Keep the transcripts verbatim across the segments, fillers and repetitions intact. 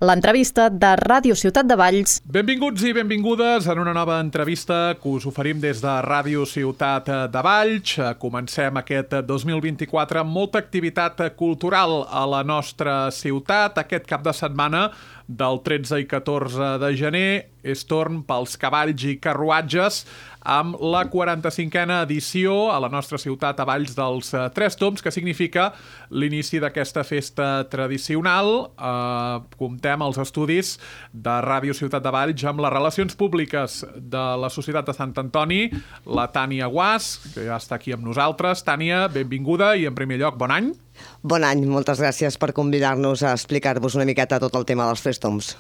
l'entrevista de Ràdio Ciutat de Valls. Benvinguts i benvingudes en una nova entrevista que us oferim des de Ràdio Ciutat de Valls. Comencem aquest dos mil vint-i-quatre amb molta activitat cultural a la nostra ciutat. Aquest cap de setmana del tretze i catorze de gener és torn pels cavalls i carruatges amb la quaranta-cinquena edició a la nostra ciutat a Valls dels Tres Tombs, que significa l'inici d'aquesta festa tradicional. Eh, comptem als estudis de Ràdio Ciutat de Valls amb les relacions públiques de la Societat de Sant Antoni, la Tània Guàs, que ja està aquí amb nosaltres. Tània, benvinguda i en primer lloc, bon any. Bon any, moltes gràcies per convidar-nos a explicar-vos una miqueta tot el tema dels Tres Tombs.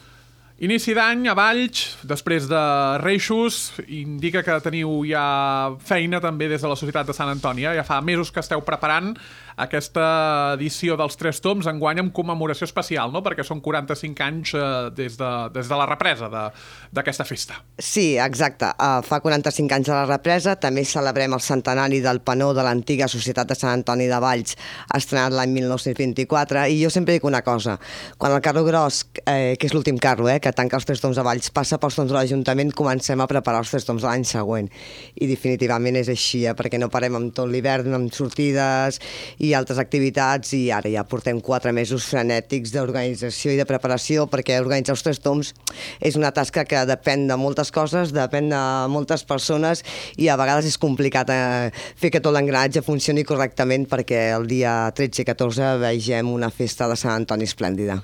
Inici d'any a Valls, després de Reixos, indica que teniu ja feina també des de la Societat de Sant Antoni. Ja fa mesos que esteu preparant aquesta edició dels Tres Tombs, enguany amb commemoració especial, no? Perquè són quaranta-cinc anys eh, des, de, des de la represa d'aquesta festa. Sí, exacte. Uh, fa quaranta-cinc anys de la represa. També celebrem el centenari del penó de l'antiga Societat de Sant Antoni de Valls, estrenat l'any mil nou-cents vint-i-quatre. I jo sempre dic una cosa. Quan el carro gros, eh, que és l'últim carro, eh, que tanca els Tres Tombs de Valls, passa pels Tombs de l'Ajuntament, comencem a preparar els Tres Tombs de l'any següent. I definitivament és així, eh, perquè no parem amb tot l'hivern, amb sortides i altres activitats, i ara ja portem quatre mesos frenètics d'organització i de preparació, perquè organitzar els Tres Tombs és una tasca que depèn de moltes coses, depèn de moltes persones, i a vegades és complicat eh, fer que tot l'engranatge funcioni correctament perquè el dia tretze i catorze vegem una festa de Sant Antoni esplèndida.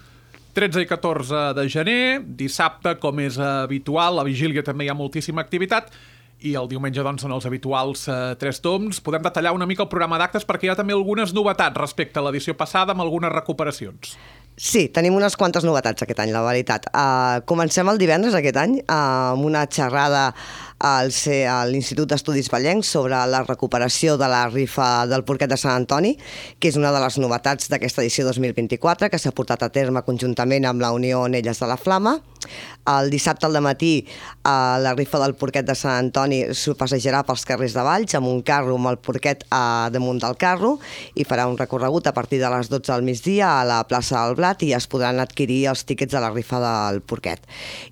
tretze i catorze de gener, dissabte, com és habitual, a vigília també hi ha moltíssima activitat, i el diumenge doncs són els habituals eh, Tres Tombs. Podem detallar una mica el programa d'actes perquè hi ha també algunes novetats respecte a l'edició passada amb algunes recuperacions. Sí, tenim unes quantes novetats aquest any, la veritat. Uh, comencem el divendres aquest any uh, amb una xerrada al C, a l'Institut d'Estudis Vallencs sobre la recuperació de la rifa del Porquet de Sant Antoni, que és una de les novetats d'aquesta edició dos mil vint-i-quatre, que s'ha portat a terme conjuntament amb la Unió Onelles de la Flama. El dissabte al dematí uh, la rifa del Porquet de Sant Antoni s'ho passejarà pels carrers de Valls amb un carro amb el porquet uh, damunt del carro, i farà un recorregut a partir de les dotze del migdia a la plaça del Blat, i es podran adquirir els tíquets de la rifa del porquet.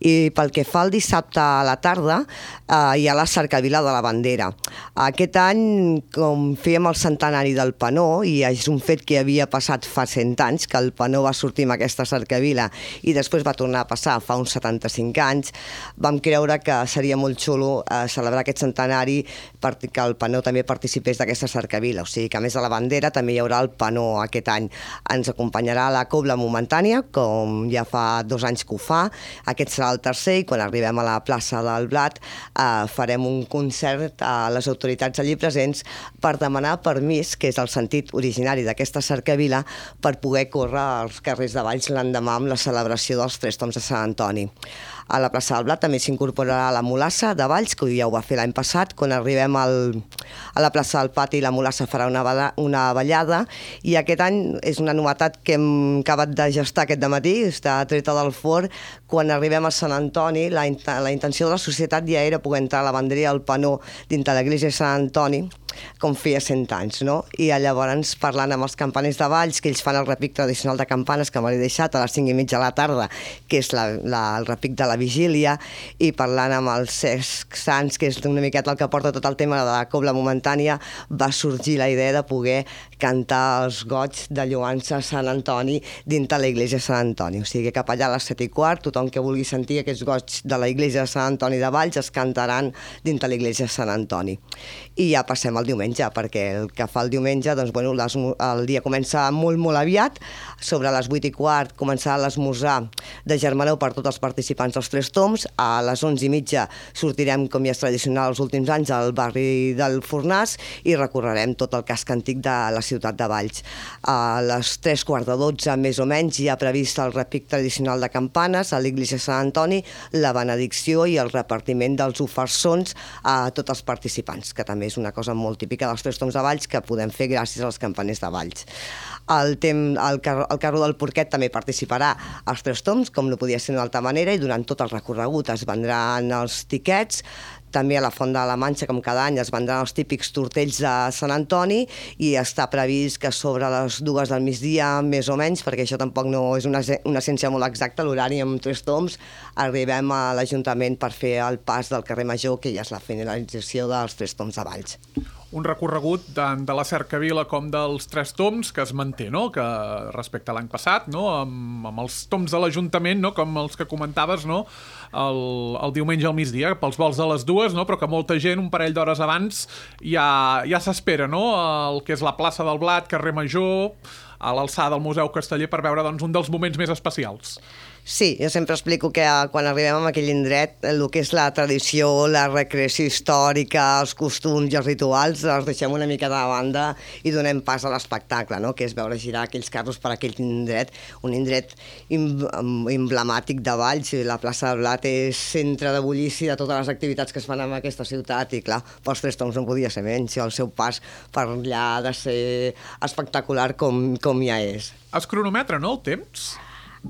I pel que fa al dissabte a la tarda, eh, hi ha la cercavila de la bandera. Aquest any, com fèiem el centenari del penó, i és un fet que havia passat fa cent anys, que el penó va sortir amb aquesta cercavila i després va tornar a passar fa uns setanta-cinc anys, vam creure que seria molt xulo eh, celebrar aquest centenari perquè el penó també participés d'aquesta cercavila. O sigui que a més de la bandera també hi haurà el penó aquest any. Ens acompanyarà la cobla momentània, com ja fa dos anys que ho fa. Aquest serà el tercer, i quan arribem a la plaça del Blat eh, farem un concert a les autoritats allí presents per demanar permís, que és el sentit originari d'aquesta cercavila, per poder córrer als carrers de Valls l'endemà amb la celebració dels Tres Tombs de Sant Antoni. A la plaça del Blat també s'incorporarà la Mulassa de Valls, que ja ho va fer l'any passat. Quan arribem al, a la plaça del Pati, la Mulassa farà una, una ballada, i aquest any és una novetat que hem acabat de gestar aquest dematí, està treta del forn. Quan arribem a Sant Antoni, la, la intenció de la societat ja era poder entrar a la banderia del penó dintre l'església de Sant Antoni, com feia cent anys, no? I llavors, parlant amb els campaners de Valls, que ells fan el repic tradicional de campanes, que m'he deixat a les cinc i mitja de la tarda, que és la, la, el repic de la vigília, i parlant amb els Cesc Sants, que és una miqueta el que porta tot el tema de la cobla momentània, va sorgir la idea de poder cantar els goigs de lloança a Sant Antoni dintre la iglesia de Sant Antoni. O sigui que cap allà a les set i quart, tothom que vulgui sentir aquests goigs de la iglesia de Sant Antoni de Valls es cantaran dintre la iglesia de Sant Antoni. I ja passem al diumenge, perquè el que fa el diumenge, doncs, bueno, les, el dia comença molt, molt aviat. Sobre les vuit i quart començarà l'esmorzar de germanor per tots els participants dels Tres Tombs. A les onze i mitja sortirem, com ja és tradicional els últims anys, al barri del Fornàs, i recorrerem tot el casc antic de la ciutat de Valls. A les tres quarts de dotze, més o menys, hi ha previst el repic tradicional de campanes a l'església de Sant Antoni, la benedicció i el repartiment dels ofersons a tots els participants, que també és una cosa molt típica dels Tres Tombs de Valls, que podem fer gràcies als campaners de Valls. El, tem, el, car el carro del Porquet també participarà als Tres Tombs, com no podia ser d'una altra manera, i durant tot el recorregut es vendran els tiquets. També a la Font de la Manxa, com cada any, es vendran els típics tortells de Sant Antoni i està previst que sobre les dues del migdia, més o menys, perquè això tampoc no és una, una ciència molt exacta, l'horari amb Tres Tombs, arribem a l'Ajuntament per fer el pas del carrer Major, que ja és la finalització dels Tres Tombs de Valls. Un recorregut tant de la Cercavila com dels Tres Tombs que es manté, no?, que respecte a l'any passat, no?, amb, amb els tombs de l'Ajuntament, no?, com els que comentaves, no?, el, el diumenge al migdia, pels vols de les dues, no?, però que molta gent, un parell d'hores abans, ja, ja s'espera, no?, el que és la plaça del Blat, carrer Major, a l'alçada del Museu Casteller, per veure, doncs, un dels moments més especials. Sí, jo sempre explico que quan arribem a aquell indret, el que és la tradició, la recreació històrica, els costums i els rituals, els deixem una mica de banda i donem pas a l'espectacle, no?, que és veure girar aquells carros per aquell indret, un indret emblemàtic de Valls, i la plaça del Blat és centre de bullici de totes les activitats que es fan en aquesta ciutat, i clar, pels Tres Tombs no podia ser menys, el seu pas per allà ha de ser espectacular com, com ja és. Es cronometra, no?, el temps?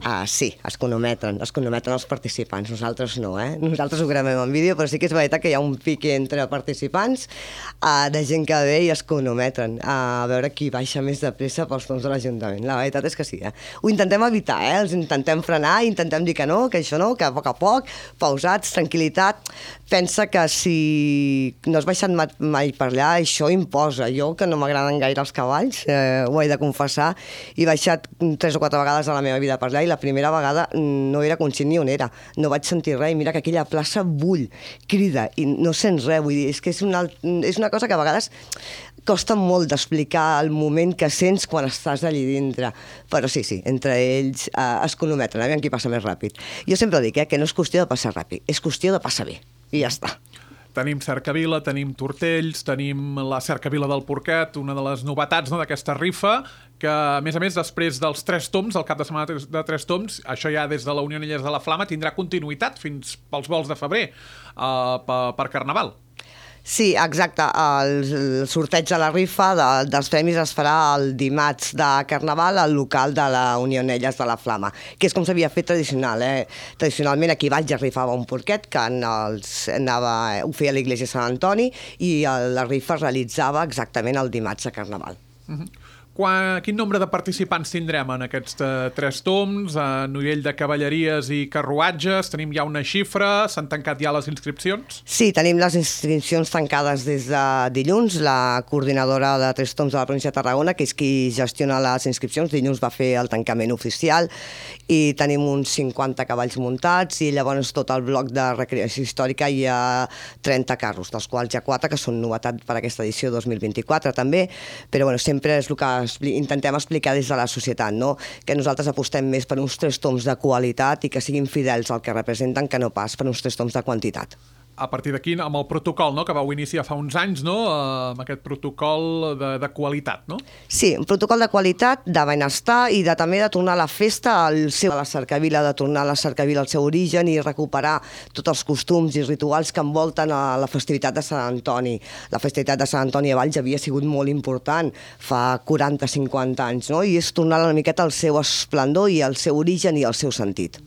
Ah, sí, es cronometren, es cronometren els participants, nosaltres no, eh? Nosaltres ho gravem en vídeo, però sí que és veritat que hi ha un pique entre participants uh, de gent que ve i es cronometren uh, a veure qui baixa més de pressa pels tombs de l'Ajuntament. La veritat és que sí, eh? Ho intentem evitar, eh? Els intentem frenar, intentem dir que no, que això no, que a poc a poc, pausats, tranquil·litat. Pensa que si no has baixat mai per allà, això imposa. Jo, que no m'agraden gaire els cavalls, eh, ho he de confessar, he baixat tres o quatre vegades a la meva vida per allà, i la primera vegada no era conscient ni on era, no vaig sentir res, i mira que aquella plaça bull, crida, i no sents res, vull dir, és que és una, és una cosa que a vegades costa molt d'explicar el moment que sents quan estàs allí dintre, però sí, sí, entre ells eh, es cronometren, aviam qui passa més ràpid. Jo sempre dic eh, que no és qüestió de passar ràpid, és qüestió de passar bé, i ja està. Tenim Cercavila, tenim Tortells, tenim la Cercavila del Porquet, una de les novetats, no?, d'aquesta rifa, que, a més a més, després dels Tres Tombs, el cap de setmana de Tres Tombs, això ja des de la Unió Anelles de la Flama, tindrà continuïtat fins pels vols de febrer, uh, per, per Carnaval. Sí, exacte. El sorteig de la rifa de, dels premis es farà el dimarts de Carnaval al local de la Unió Anelles de la Flama, que és com s'havia fet tradicional. Eh? Tradicionalment aquí a Valls es rifava un porquet que els anava, ho feia l'Església Sant Antoni, i la rifa es realitzava exactament el dimarts de Carnaval. Uh-huh. Quan, quin nombre de participants tindrem en aquests uh, Tres Tombs, a nivell de cavalleries i carruatges? Tenim ja una xifra? S'han tancat ja les inscripcions? Sí, tenim les inscripcions tancades des de dilluns. La coordinadora de Tres Tombs de la província de Tarragona, que és qui gestiona les inscripcions, dilluns va fer el tancament oficial, i tenim uns cinquanta cavalls muntats, i llavors tot el bloc de recreació històrica hi ha trenta carros, dels quals hi ha quatre que són novetat per aquesta edició dos mil vint-i-quatre també, però bueno, sempre és el que intentem explicar des de la societat, no? Que nosaltres apostem més per uns Tres Tombs de qualitat i que siguin fidels al que representen, que no pas per uns Tres Tombs de quantitat. A partir d'aquí, amb el protocol, no?, que vau iniciar fa uns anys, no?, amb aquest protocol de, de qualitat, no? Sí, un protocol de qualitat, de benestar i de, també de tornar la festa al seu, a la Cercavila, de tornar a la Cercavila al seu origen i recuperar tots els costums i rituals que envolten a la festivitat de Sant Antoni. La festivitat de Sant Antoni a Valls havia sigut molt important fa quaranta a cinquanta anys, no?, i és tornar una miqueta al seu esplendor i al seu origen i al seu sentit.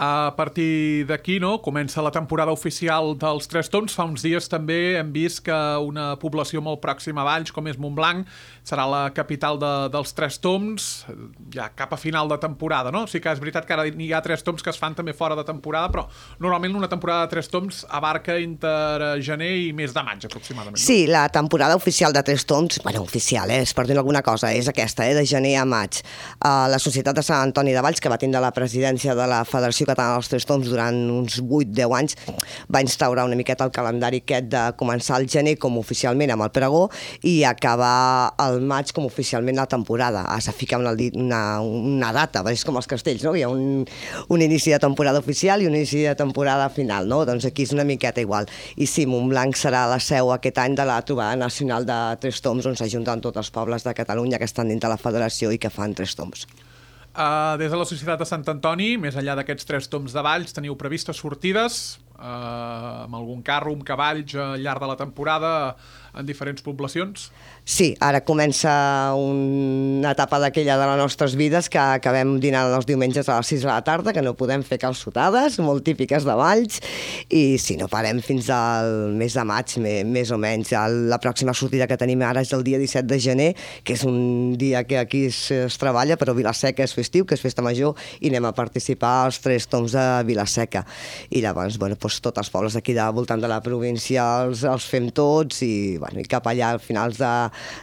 A partir d'aquí, no?, comença la temporada oficial dels Tres Tombs. Fa uns dies també hem vist que una població molt pròxima a Valls, com és Montblanc, serà la capital de, dels Tres Tombs, ja cap a final de temporada, no? Sí que és veritat que ara hi ha Tres Tombs que es fan també fora de temporada, però normalment una temporada de Tres Tombs abarca entre gener i mes de maig, aproximadament. No? Sí, la temporada oficial de Tres Tombs, bueno, oficial, eh, és per dir alguna cosa, és aquesta, eh, de gener a maig. Uh, la Societat de Sant Antoni de Valls, que va tindre la presidència de la Federació Catalana dels Tres Tombs durant uns vuit a deu anys, va instaurar una miqueta el calendari aquest de començar el gener com oficialment amb el pregó i acabar el maig com oficialment la temporada. Has de ficar una, una, una data, és com els castells, no? Hi ha un, un inici de temporada oficial i un inici de temporada final, no? Doncs aquí és una miqueta igual. I sí, Montblanc serà la seu aquest any de la trobada nacional de Tres Tombs, on s'ajunten tots els pobles de Catalunya que estan dintre la federació i que fan Tres Tombs. Uh, des de la Societat de Sant Antoni, més enllà d'aquests Tres Tombs de Valls, teniu previstes sortides uh, amb algun carro, amb cavalls al llarg de la temporada en diferents poblacions? Sí, ara comença una etapa d'aquella de les nostres vides que acabem dinant els diumenges a les sis de la tarda, que no podem fer calçotades, molt típiques de Valls, i si no parem fins al mes de maig, més o menys. La pròxima sortida que tenim ara és el dia disset de gener, que és un dia que aquí es, es treballa, però Vila-seca és festiu, que és festa major, i anem a participar als Tres Tombs de Vila-seca. I llavors, bueno, doncs, tots els pobles d'aquí de voltant de la província els, els fem tots, i, bueno, i cap allà al finals de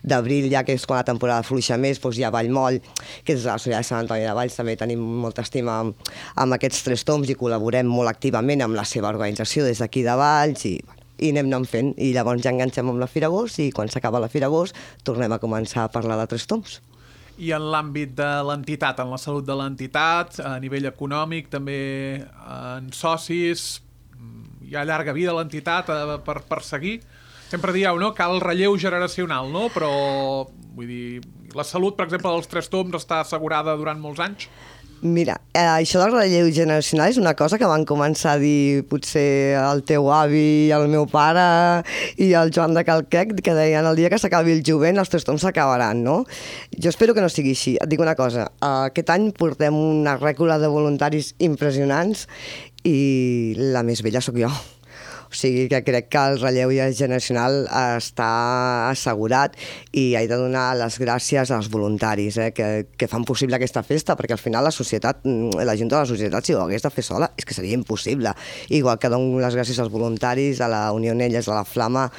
d'abril, ja que és quan la temporada fluixa més, doncs hi ha Vallmoll, que és la ciutat de Sant Antoni de Valls, també tenim molta estima amb, amb aquests Tres Tombs i col·laborem molt activament amb la seva organització des d'aquí de Valls i, bueno, i anem anant fent, i llavors ja enganxem amb la Fira Agost i quan s'acaba la Fira Agost tornem a començar a parlar de Tres Tombs. I en l'àmbit de l'entitat, en la salut de l'entitat, a nivell econòmic, també en socis, hi ha llarga vida a l'entitat per, per seguir? Sempre dieu, no?, cal relleu generacional, no? Però, vull dir, la salut, per exemple, dels Tres Tombs està assegurada durant molts anys? Mira, eh, això del relleu generacional és una cosa que van començar a dir potser el teu avi, el meu pare i el Joan de Calquec, que deien el dia que s'acabi el jovent els Tres Tombs s'acabaran, no? Jo espero que no sigui així. Et dic una cosa, aquest any portem una rècula de voluntaris impressionants i la més vella sóc jo. O sigui que crec que el relleu generacional està assegurat i he de donar les gràcies als voluntaris eh, que, que fan possible aquesta festa, perquè al final la societat, la gent de la societat, si ho hagués de fer sola, és que seria impossible. Igual que dono les gràcies als voluntaris, a la Unió Nelles, a la Flama,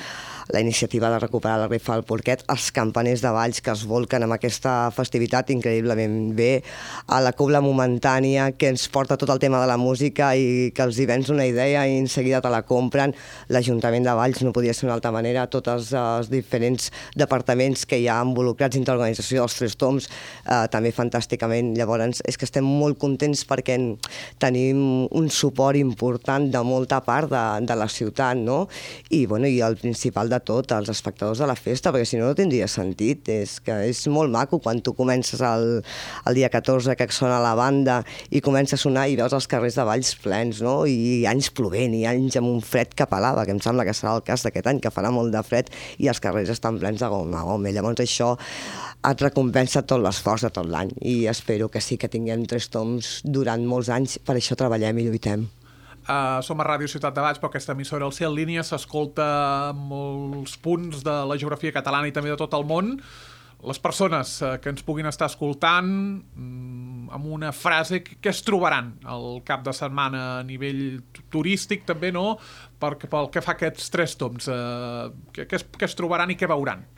la iniciativa de recuperar la rifa del Porquet, els campaners de Valls que es volquen amb aquesta festivitat increïblement bé, a la Cobla Momentània, que ens porta tot el tema de la música i que els hi vens una idea i en seguida te la compren, l'Ajuntament de Valls, no podia ser d'una altra manera, tots els, els diferents departaments que hi ha involucrats dins l'organització dels Tres Tombs, eh, també fantàsticament. Llavors, és que estem molt contents perquè tenim un suport important de molta part de, de la ciutat, no? I, bueno, i el principal de tot, els espectadors de la festa, perquè si no no tindria sentit. És que és molt maco quan tu comences el, el dia catorze que sona la banda i comença a sonar i veus els carrers de Valls plens, no? I anys plovent, i anys amb un fred que pelava, que em sembla que serà el cas d'aquest any, que farà molt de fred i els carrers estan plens de gom a gom. Llavors això et recompensa tot l'esforç de tot l'any i espero que sí que tinguem Tres Tombs durant molts anys, per això treballem i lluitem. Uh, som a Ràdio Ciutat de Valls, però aquesta emissora al ser en línia s'escolta molts punts de la geografia catalana i també de tot el món. Les persones uh, que ens puguin estar escoltant, um, amb una frase, què es trobaran al cap de setmana a nivell turístic també, no? Per, pel que fa a aquests Tres Tombs, uh, què, què, es, què es trobaran i què veuran?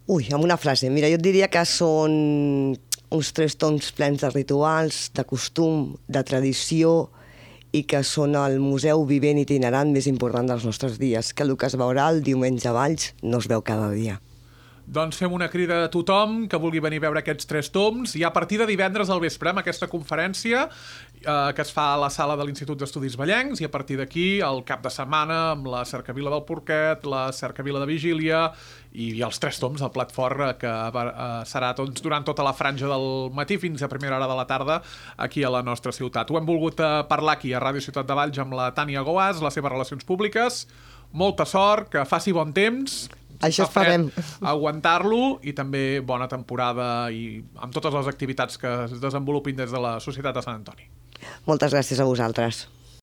Ui, amb una frase. Mira, jo et diria que són uns Tres Tombs plens de rituals, de costum, de tradició, i que són el museu vivent itinerant més important dels nostres dies, que el que es veurà el diumenge a Valls no es veu cada dia. Doncs fem una crida a tothom que vulgui venir a veure aquests Tres Tombs, i a partir de divendres al vespre amb aquesta conferència eh, que es fa a la sala de l'Institut d'Estudis Vallencs, i a partir d'aquí el cap de setmana amb la Cercavila del Porquet, la Cercavila de Vigília i, i els Tres Tombs, el plat fort que eh, serà doncs, durant tota la franja del matí fins a primera hora de la tarda aquí a la nostra ciutat. Ho hem volgut eh, parlar aquí a Ràdio Ciutat de Valls amb la Tània Goas, les seves relacions públiques. Molta sort, que faci bon temps. Això esperem. Aguantar-lo, i també bona temporada i amb totes les activitats que es desenvolupin des de la Societat de Sant Antoni. Moltes gràcies a vosaltres.